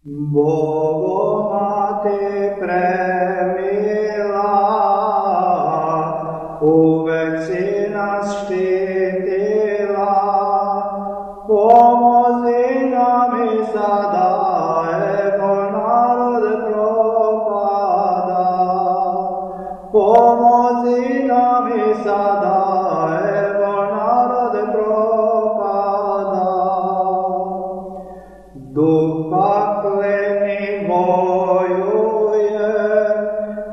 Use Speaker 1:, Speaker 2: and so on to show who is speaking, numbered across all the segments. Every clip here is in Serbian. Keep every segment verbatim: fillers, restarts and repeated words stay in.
Speaker 1: Bogo Mate premila, uvek si nas štitila, pomozi nam i sada, evo narod propada. Pomozi nam i sada, evo narod propada. Duh pakleni vojuje,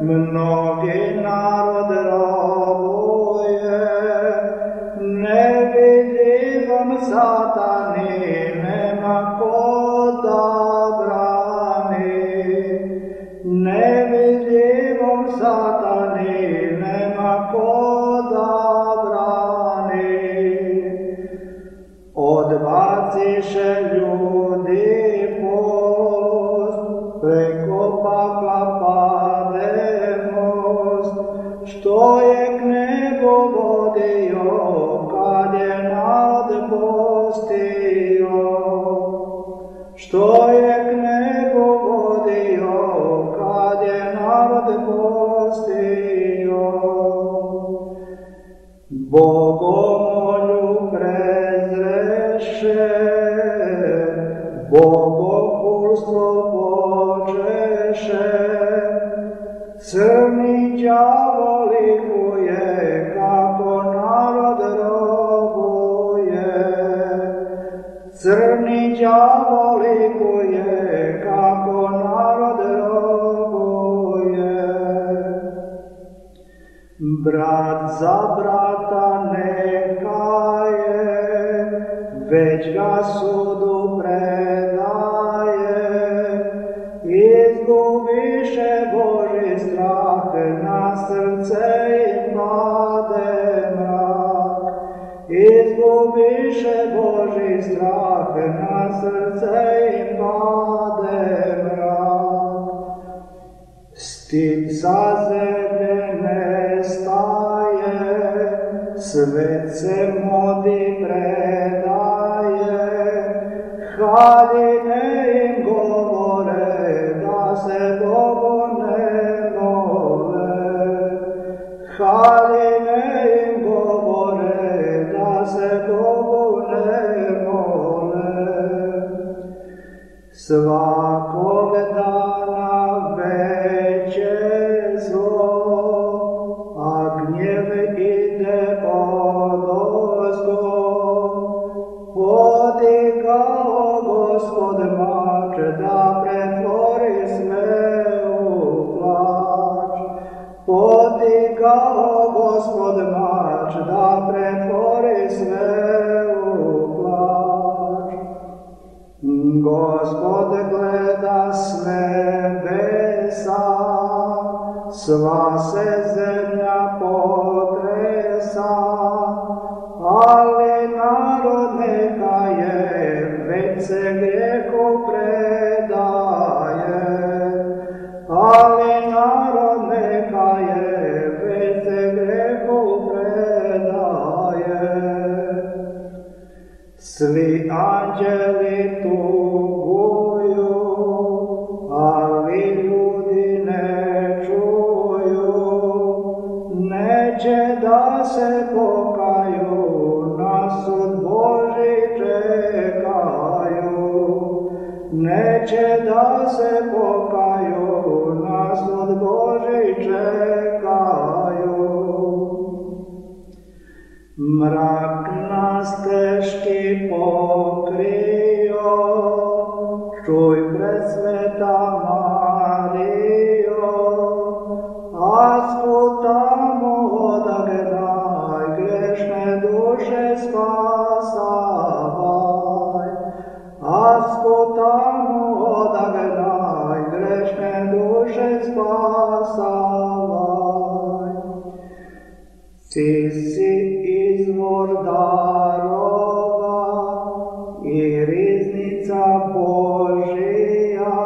Speaker 1: mnogi narod robuje, nevidljivom satani nema ko da brani. Nevidljivom satani nema ko da brani. Odbaciše ljudi post, preko pakla pade most, što je k nebu vodio, kad je narod postio. Što je k nebu vodio, kad je narod postio. Bogomolju prezreše, bogopulstvo počeše, crni đavo likuje, kako narod robuje. Crni đavo likuje, kako narod robuje. Brat za brata neka je, već ga sudu predaje. Izgubiše Božji strah, na srce im pade mrak. Izgubiše Božji strah, na srce im pade mrak. Stid sa zemlje nestaje, svet se modi predaje. Haljine im govore, da se Bogu ne mole. Haljine im govore, da se Bogu ne mole. Svakog dana veće zlo, a gnjev ide odozgo. Podigao Gospod mač, da pretvori sve u plač. Podigao Gospod mač, da pretvori sve u plač. Gospod gleda s nebesa, sva se zemlja potresa, ali narod neka je, već se grijehu predaje. Ali narod neka je, već se grijehu predaje. Svi anđeli tuguju, ali ljudi ne čuju. Neće da se pokaju, na sud Božji čekaju. Neće da se pokaju, na sud Božji čekaju. Mrak nas teški pokrio, čuj presveta Marijo, a skutamo odagnaj, grešne duše spasavaj. A skutamo odagnaj, grešne duše spasavaj. Ti si izvor darova i riznica Božija,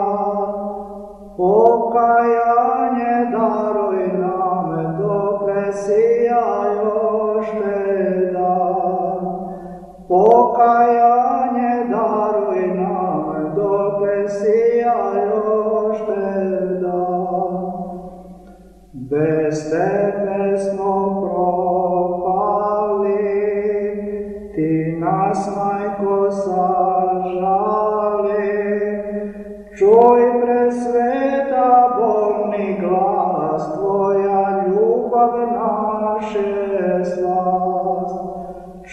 Speaker 1: pokajanje daruj nam, dokle sija još te dan. Pokajanje daruj nam, dokle dokle sijajoš dan. Bez tebe smo propali, ti nas, Majko, sažali. Čuj, presveta, bolni glas, tvoja ljubav naše slas.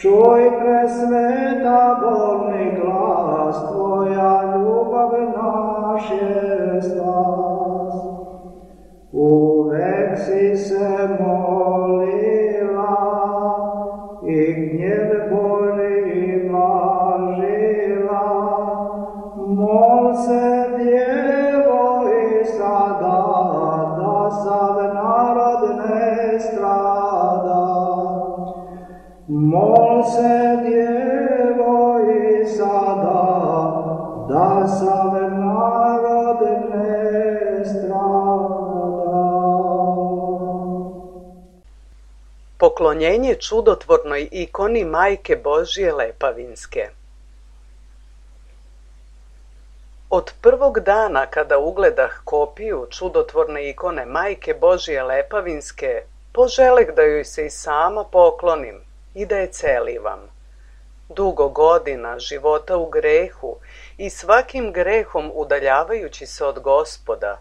Speaker 1: Čuj, presveta, bolni glas, tvoja ljubav naše slas. Uvek si se molila i gnjev Božji blažila. Mol se, Djevo, i sada, da sav narod ne strada. Mol se, Djevo, i sada, da sav narod ne strada.
Speaker 2: Poklonjenje čudotvornoj ikoni Majke Božje Lepavinske. Od prvog dana kada ugledah kopiju čudotvorne ikone Majke Božje Lepavinske, poželeh da joj se i sama poklonim i da je celivam. Dugo godina života u grehu i svakim grehom udaljavajući se od Gospoda,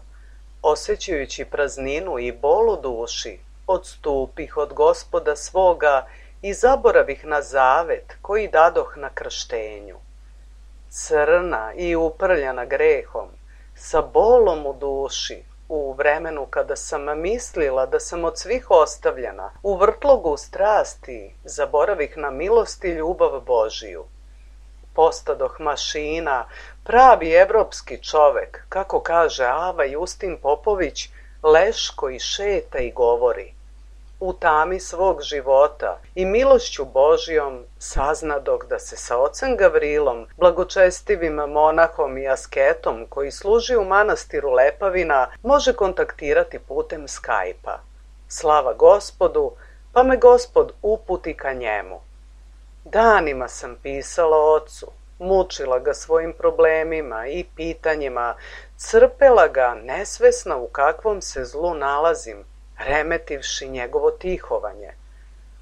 Speaker 2: osjećajući prazninu i bol u duši, odstupih od Gospoda svoga i zaboravih na zavet koji dadoh na krštenju. Crna i uprljana grehom, sa bolom u duši, u vremenu kada sam mislila da sam od svih ostavljena, u vrtlogu strasti zaboravih na milost i ljubav Božiju. Postadoh mašina, pravi evropski čovek, kako kaže Ava Justin Popović, leš koji šeta i govori. U tami svog života i milošću Božijom saznadog da se sa ocem Gavrilom, blagočestivim monahom i asketom koji služi u manastiru Lepavina, može kontaktirati putem Skype-a. Slava Gospodu, pa me Gospod uputi ka njemu. Danima sam pisala ocu, mučila ga svojim problemima i pitanjima, crpela ga nesvesna u kakvom se zlu nalazim, remetivši njegovo tihovanje.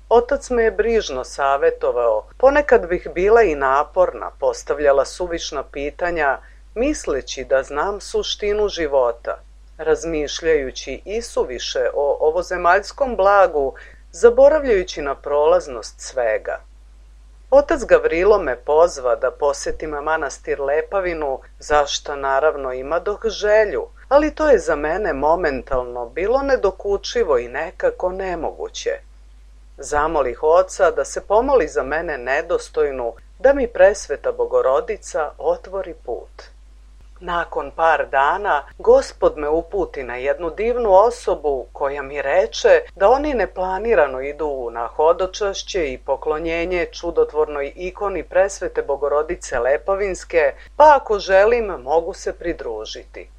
Speaker 2: Otac me je brižno savetovao, ponekad bih bila i naporna, postavljala suvišna pitanja, misleći da znam suštinu života, razmišljajući isuviše o ovozemaljskom blagu, zaboravljajući na prolaznost svega. Otac Gavrilo me pozva da posetim manastir Lepavinu, zašta naravno imadoh želju, ali to je za mene momentalno bilo nedokučivo i nekako nemoguće. Zamolih oca da se pomoli za mene nedostojnu, da mi presveta Bogorodica otvori put. Nakon par dana, Gospod me uputi na jednu divnu osobu koja mi reče da oni neplanirano idu na hodočašće i poklonjenje čudotvornoj ikoni presvete Bogorodice Lepavinske, pa ako želim mogu se pridružiti.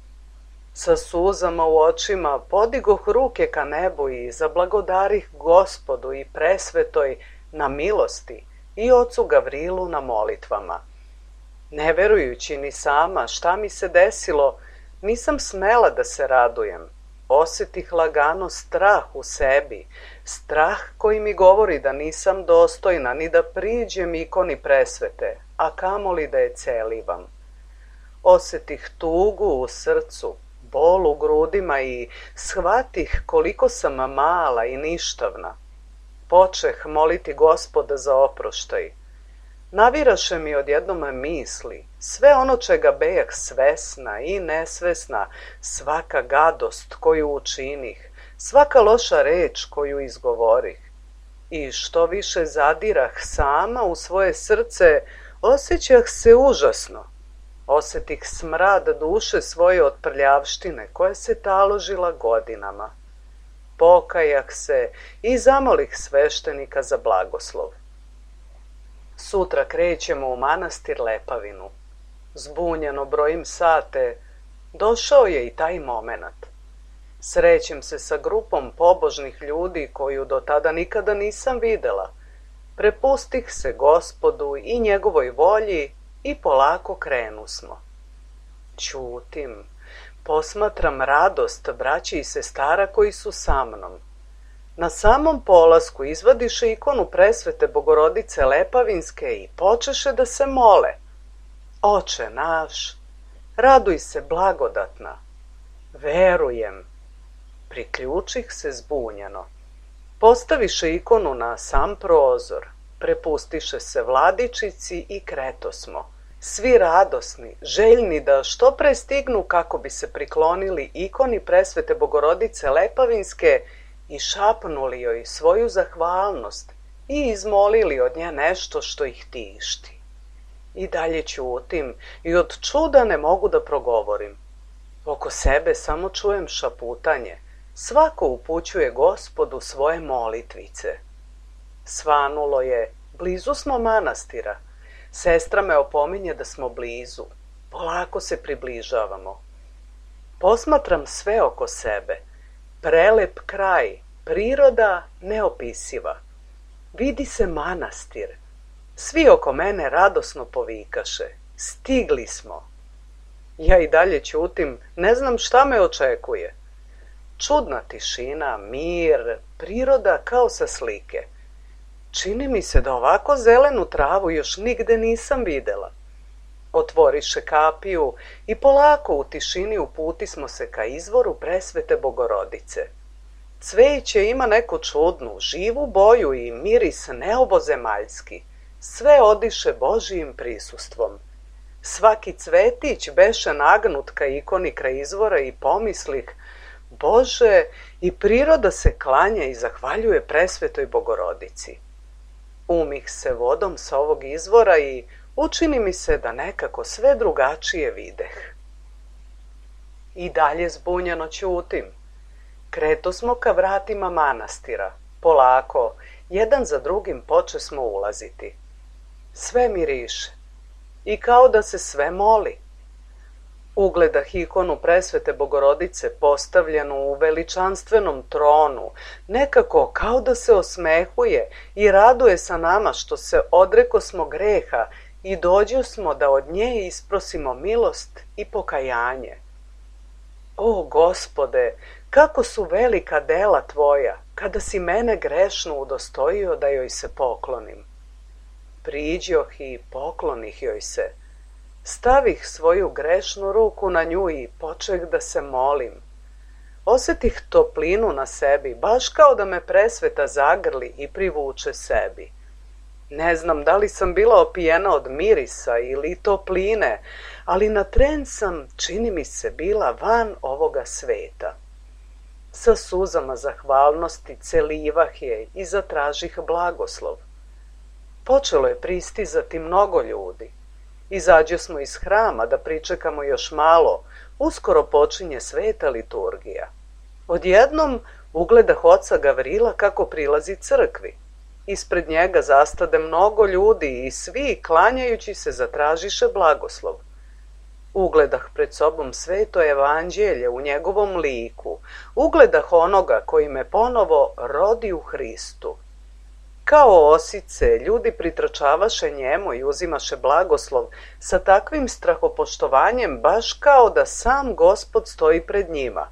Speaker 2: Sa suzama u očima podigoh ruke ka nebu i zablagodarih Gospodu i presvetoj na milosti i ocu Gavrilu na molitvama. Ne verujući ni sama šta mi se desilo, nisam smela da se radujem. Osjetih lagano strah u sebi, strah koji mi govori da nisam dostojna ni da priđem ikoni presvete, a kamoli da je celivam. Osjetih tugu u srcu, bol u grudima i shvatih koliko sam mala i ništavna. Počeh moliti Gospoda za oproštaj. Naviraše mi odjednom misli, sve ono čega bejah svesna i nesvesna, svaka gadost koju učinih, svaka loša reč koju izgovorih. I što više zadirah sama u svoje srce, osjećah se užasno. Osjetih smrad duše svoje od prljavštine koja se taložila godinama. Pokajah se i zamolih sveštenika za blagoslov. Sutra krećemo u manastir Lepavinu. Zbunjeno brojim sate, došao je i taj momenat. Srećem se sa grupom pobožnih ljudi koju do tada nikada nisam videla. Prepustih se Gospodu i njegovoj volji i polako krenusmo. Ćutim. Posmatram radost braće i sestara koji su sa mnom. Na samom polasku izvadiše ikonu presvete Bogorodice Lepavinske i počeše da se mole. Oče naš, raduj se blagodatna. Verujem. Priključih se zbunjeno. Postaviše ikonu na sam prozor, prepustiše se vladičici i kretosmo. Svi radosni, željni da što pre stignu kako bi se priklonili ikoni presvete Bogorodice Lepavinske i šapnuli joj svoju zahvalnost i izmolili od nje nešto što ih tišti. I dalje ćutim i od čuda ne mogu da progovorim. Oko sebe samo čujem šaputanje. Svako upućuje Gospodu svoje molitvice. Svanulo je, blizu smo manastira. Sestra me opominje da smo blizu. Polako se približavamo. Posmatram sve oko sebe. Prelep kraj, priroda neopisiva. Vidi se manastir. Svi oko mene radosno povikaše. Stigli smo. Ja i dalje ćutim, ne znam šta me očekuje. Čudna tišina, mir, priroda kao sa slike. Čini mi se da ovako zelenu travu još nigde nisam videla. Otvoriše kapiju i polako u tišini uputismo se ka izvoru presvete Bogorodice. Cveće ima neku čudnu, živu boju i miris neobozemaljski. Sve odiše Božijim prisustvom. Svaki cvetić beše nagnut ka ikoni kraj izvora i pomislih, Bože, i priroda se klanja i zahvaljuje presvetoj Bogorodici. Umih se vodom sa ovog izvora i učini mi se da nekako sve drugačije videh. I dalje zbunjeno ćutim. Kretosmo ka vratima manastira. Polako, jedan za drugim počesmo ulaziti. Sve miriše. I kao da se sve moli. Ugledah ikonu presvete Bogorodice postavljenu u veličanstvenom tronu, nekako kao da se osmehuje i raduje sa nama što se odrekosmo greha i dođosmo da od nje isprosimo milost i pokajanje. O Gospode, kako su velika dela Tvoja, kada si mene grešnu udostojio da joj se poklonim. Priđoh i poklonih joj se. Stavih svoju grešnu ruku na nju i počeh da se molim. Osetih toplinu na sebi, baš kao da me presveta zagrli i privuče sebi. Ne znam da li sam bila opijena od mirisa ili topline, ali na tren sam, čini mi se, bila van ovoga sveta. Sa suzama zahvalnosti celivah je i zatražih blagoslov. Počelo je pristizati mnogo ljudi. Izađo smo iz hrama da pričekamo još malo, uskoro počinje sveta liturgija. Odjednom ugledah oca Gavrila kako prilazi crkvi. Ispred njega zastade mnogo ljudi i svi, klanjajući se, zatražiše blagoslov. Ugledah pred sobom sveto evanđelje u njegovom liku, ugledah onoga koji me ponovo rodi u Hristu. Kao osice, ljudi pritrčavaše njemu i uzimaše blagoslov sa takvim strahopoštovanjem, baš kao da sam Gospod stoji pred njima.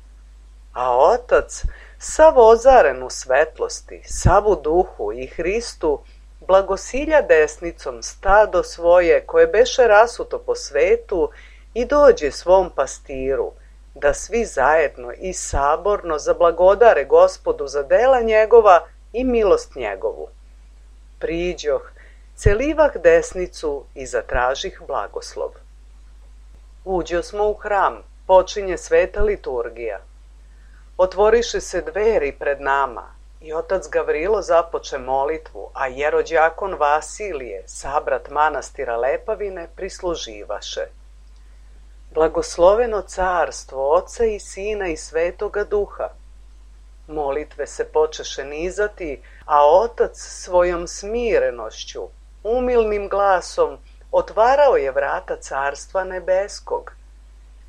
Speaker 2: A Otac, sav ozaren u svetlosti, sav u duhu i Hristu, blagosilja desnicom stado svoje koje beše rasuto po svetu i dođe svom pastiru, da svi zajedno i saborno zablagodare Gospodu za dela njegova i milost njegovu. Priđoh, celivah desnicu i zatražih blagoslov. Uđo smo u hram, počinje sveta liturgija. Otvoriše se dveri pred nama i otac Gavrilo započe molitvu, a jerođakon Vasilije, sabrat manastira Lepavine, prisluživaše. Blagosloveno carstvo Oca i Sina i Svetoga Duha. Molitve se počeše nizati, a otac svojom smirenošću, umilnim glasom, otvarao je vrata carstva nebeskog.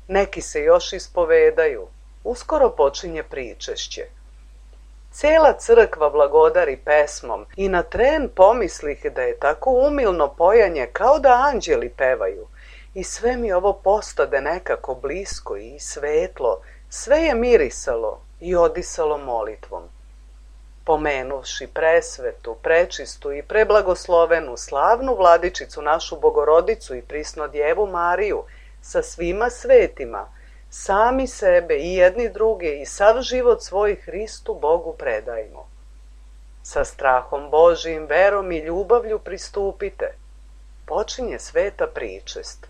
Speaker 2: Neki se još ispovedaju, uskoro počinje pričešće. Cela crkva blagodari pesmom i na tren pomislih da je tako umilno pojanje kao da anđeli pevaju i sve mi ovo postade nekako blisko i svetlo, sve je mirisalo i odisalo molitvom. Pomenuvši presvetu, prečistu i preblagoslovenu, slavnu vladičicu našu Bogorodicu i prisno Djevu Mariju sa svima svetima, sami sebe i jedni druge i sav život svoj Hristu Bogu predajmo. Sa strahom Božijim, verom i ljubavlju pristupite. Počinje sveta pričest.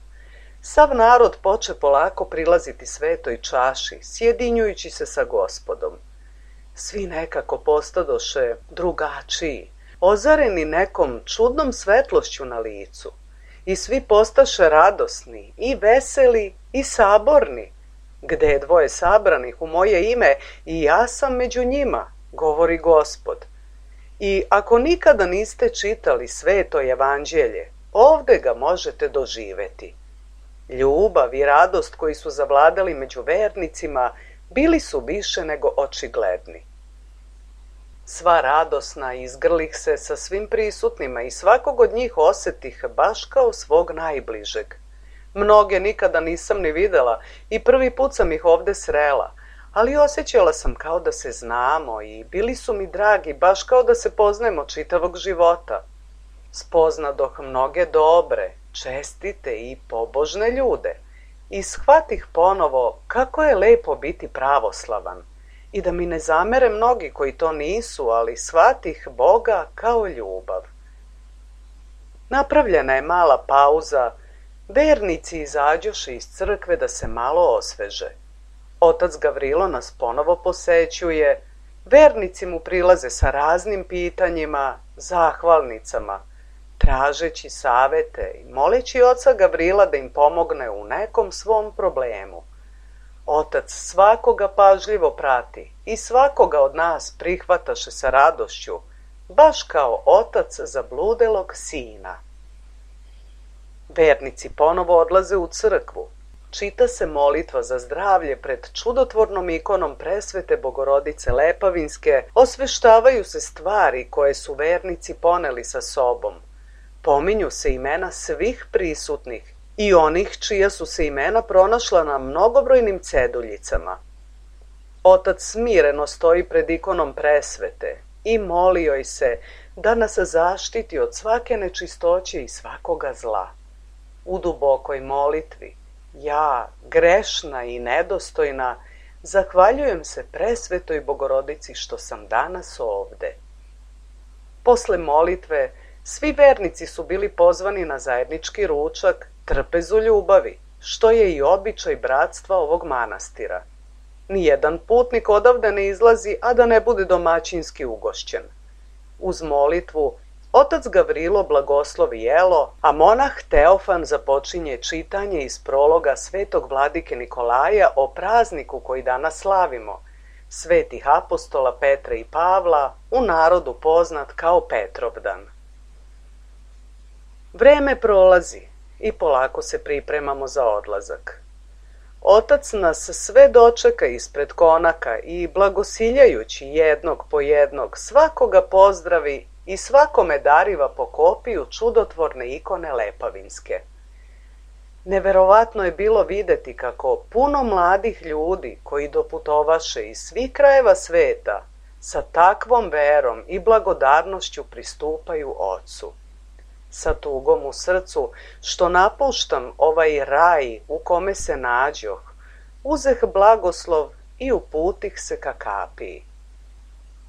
Speaker 2: Sav narod poče polako prilaziti svetoj čaši, sjedinjujući se sa Gospodom. Svi nekako postadoše drugačiji, ozareni nekom čudnom svetlošću na licu. I svi postaše radosni, i veseli, i saborni. Gde je dvoje sabranih u moje ime, i ja sam među njima, govori Gospod. I ako nikada niste čitali sveto evanđelje, ovde ga možete doživeti. Ljubav i radost koji su zavladali među vernicima bili su više nego očigledni. Sva radosna izgrlih se sa svim prisutnima i svakog od njih osetih baš kao svog najbližeg. Mnoge nikada nisam ni videla i prvi put sam ih ovde srela, ali osjećala sam kao da se znamo i bili su mi dragi baš kao da se poznajemo čitavog života. Spoznadoh mnoge dobre, čestite i pobožne ljude i shvatih ponovo kako je lepo biti pravoslavan i da mi ne zamere mnogi koji to nisu, ali shvatih Boga kao ljubav. Napravljena je mala pauza, vernici izađoše iz crkve da se malo osveže. Otac Gavrilo nas ponovo posećuje, vernici mu prilaze sa raznim pitanjima, zahvalnicama, tražeći savete i moleći oca Gavrila da im pomogne u nekom svom problemu. Otac svakoga pažljivo prati i svakoga od nas prihvataše sa radošću, baš kao otac zabludelog sina. Vernici ponovo odlaze u crkvu. Čita se molitva za zdravlje pred čudotvornom ikonom presvete Bogorodice Lepavinske, osveštavaju se stvari koje su vernici poneli sa sobom. Pominju se imena svih prisutnih i onih čija su se imena pronašla na mnogobrojnim ceduljicama. Otac smireno stoji pred ikonom presvete i moli joj se da nas zaštiti od svake nečistoće i svakoga zla. U dubokoj molitvi, ja, grešna i nedostojna, zahvaljujem se presvetoj Bogorodici što sam danas ovde. Posle molitve, svi vernici su bili pozvani na zajednički ručak, trpezu ljubavi, što je i običaj bratstva ovog manastira. Nijedan putnik odavde ne izlazi, a da ne bude domaćinski ugošćen. Uz molitvu, otac Gavrilo blagoslovi jelo, a monah Teofan započinje čitanje iz prologa svetog vladike Nikolaja o prazniku koji danas slavimo, svetih apostola Petra i Pavla, u narodu poznat kao Petrovdan. Vreme prolazi i polako se pripremamo za odlazak. Otac nas sve dočeka ispred konaka i blagosiljajući jednog po jednog svakoga pozdravi i svakome dariva po kopiju čudotvorne ikone Lepavinske. Neverovatno je bilo videti kako puno mladih ljudi koji doputovaše iz svih krajeva sveta sa takvom verom i blagodarnošću pristupaju Ocu. Sa tugom u srcu što napuštam ovaj raj u kome se nađoh, uzeh blagoslov i uputih se ka kapiji.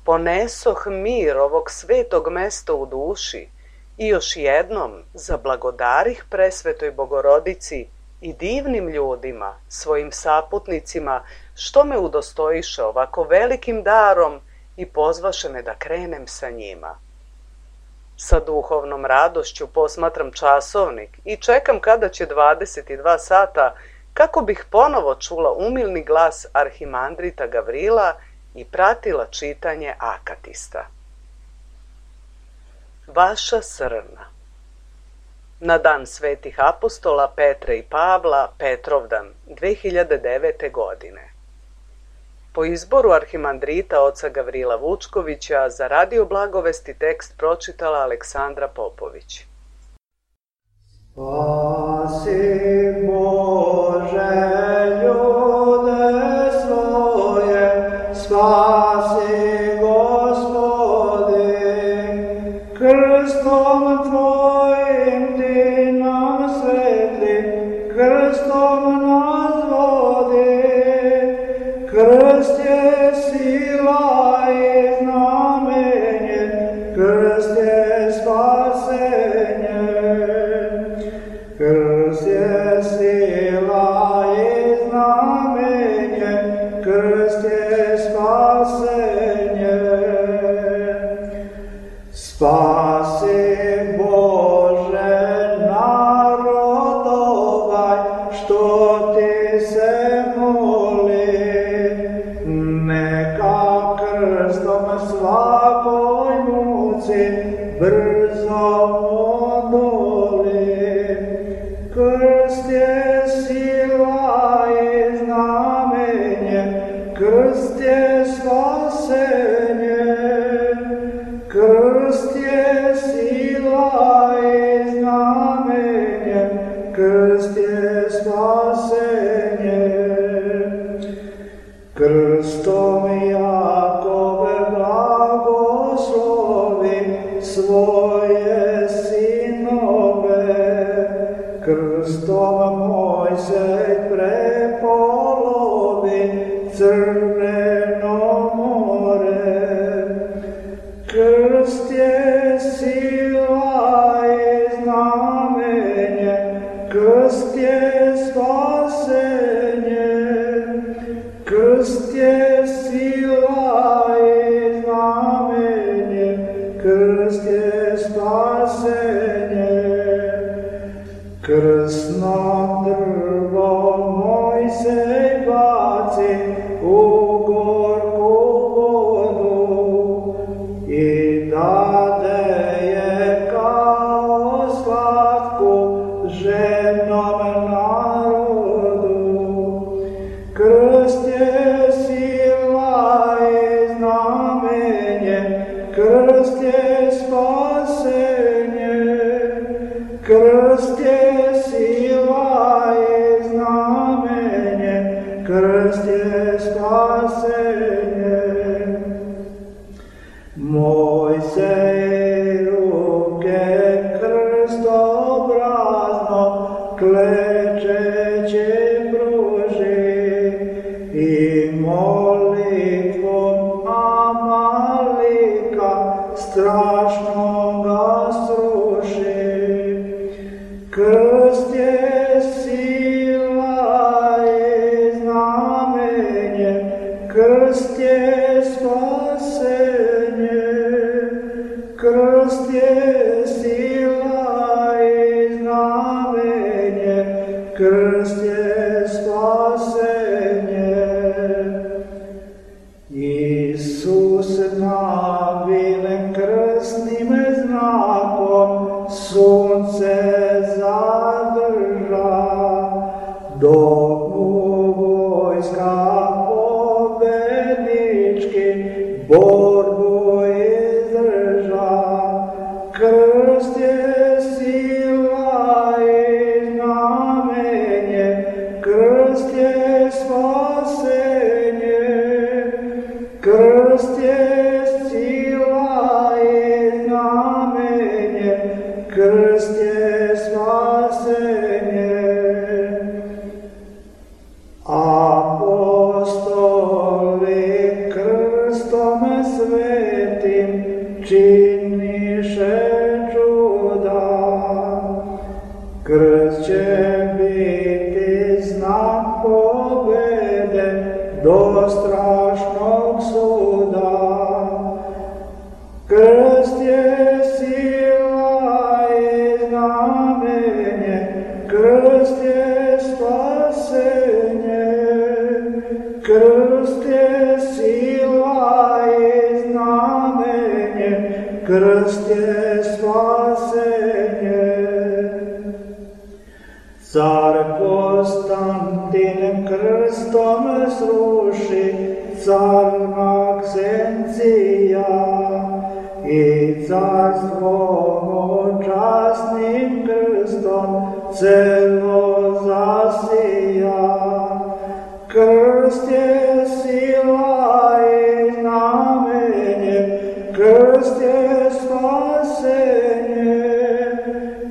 Speaker 2: Ponesoh mir ovog svetog mesta u duši i još jednom zablagodarih presvetoj Bogorodici i divnim ljudima, svojim saputnicima, što me udostojiše ovako velikim darom i pozvaše me da krenem sa njima. Sa duhovnom radošću posmatram časovnik i čekam kada će dvadeset dva sata kako bih ponovo čula umilni glas arhimandrita Gavrila i pratila čitanje akatista. Vaša Srna. Na dan svetih apostola Petra i Pavla, Petrovdan, dve hiljade devete. godine. Po izboru arhimandrita oca Gavrila Vučkovića za Radio Blagovesti tekst pročitala Aleksandra Popović.
Speaker 1: Spasi Bože ljude svoje, spasi Gospodi, krstom Tvojim Ti nam svetli, krstom nas vodi, krst je sila i znamenje, krst je spasenje. Krst je sila i znamenje, krst je spasenje. Spasi Bože narod ovaj, što Ti se moli, neka krstom svakoj muci brzo odoli. Krst je sila i znamenje, krst je spasenje. Krst je sila i znamenje, krst je spasenje. Krstom Jakove blagoslovi svoje sinove, krstom Mojsej prepolovi Crveno more. Krst je sila i znamenje, krst je spasenje. Krst je sila i znamenje, krst je spasenje. Krsno drvo Mojsej baci u gorku vodu i dade je kao slatku žednom narodu. Krst je sila i znamenje, krst je spasenje. Krst je sila i znamenje, krst je spasenje. Mojsej ruke krstobrazno klečeće pruži i molitvom Amalika strašno ga sruši. Krst je sila i znamenje, krst je spasenje. Krst je sila i znamenje, krst je spasenje. Isus nabilen krstnim znakom sunce zadrža, dok mu vojska pobednički borbu izdrža. Krst je sila i znamenje, krst je spasenje. Krst je sila i znamenje, krst je spasenje. Apostoli krstom svetim činiše čuda. Krst će biti znak pobede do strašnog suda. Krst je sila i znamenje, krst je spasenje. Krst je sila i znamenje, krst je spasenje. Car Konstantin krstom sruši car Maksencija i carstvo mu časnim krstom celo zasija. Krst je sila i znamenje, krst je spasenje.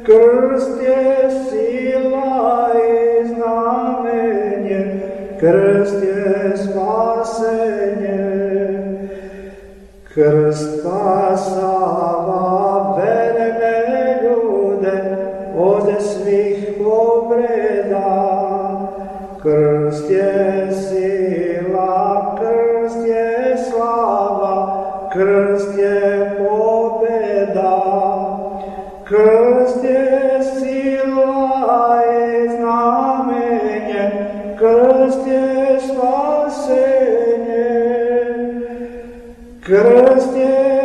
Speaker 1: Krst je sila i znamenje, krst je spasenje. Krst spasava verne ljude od svih povreda. Krst je sila, krst je slava, krst je pobjeda. Krst je sila i znamenje, krst je spasenje. Krst je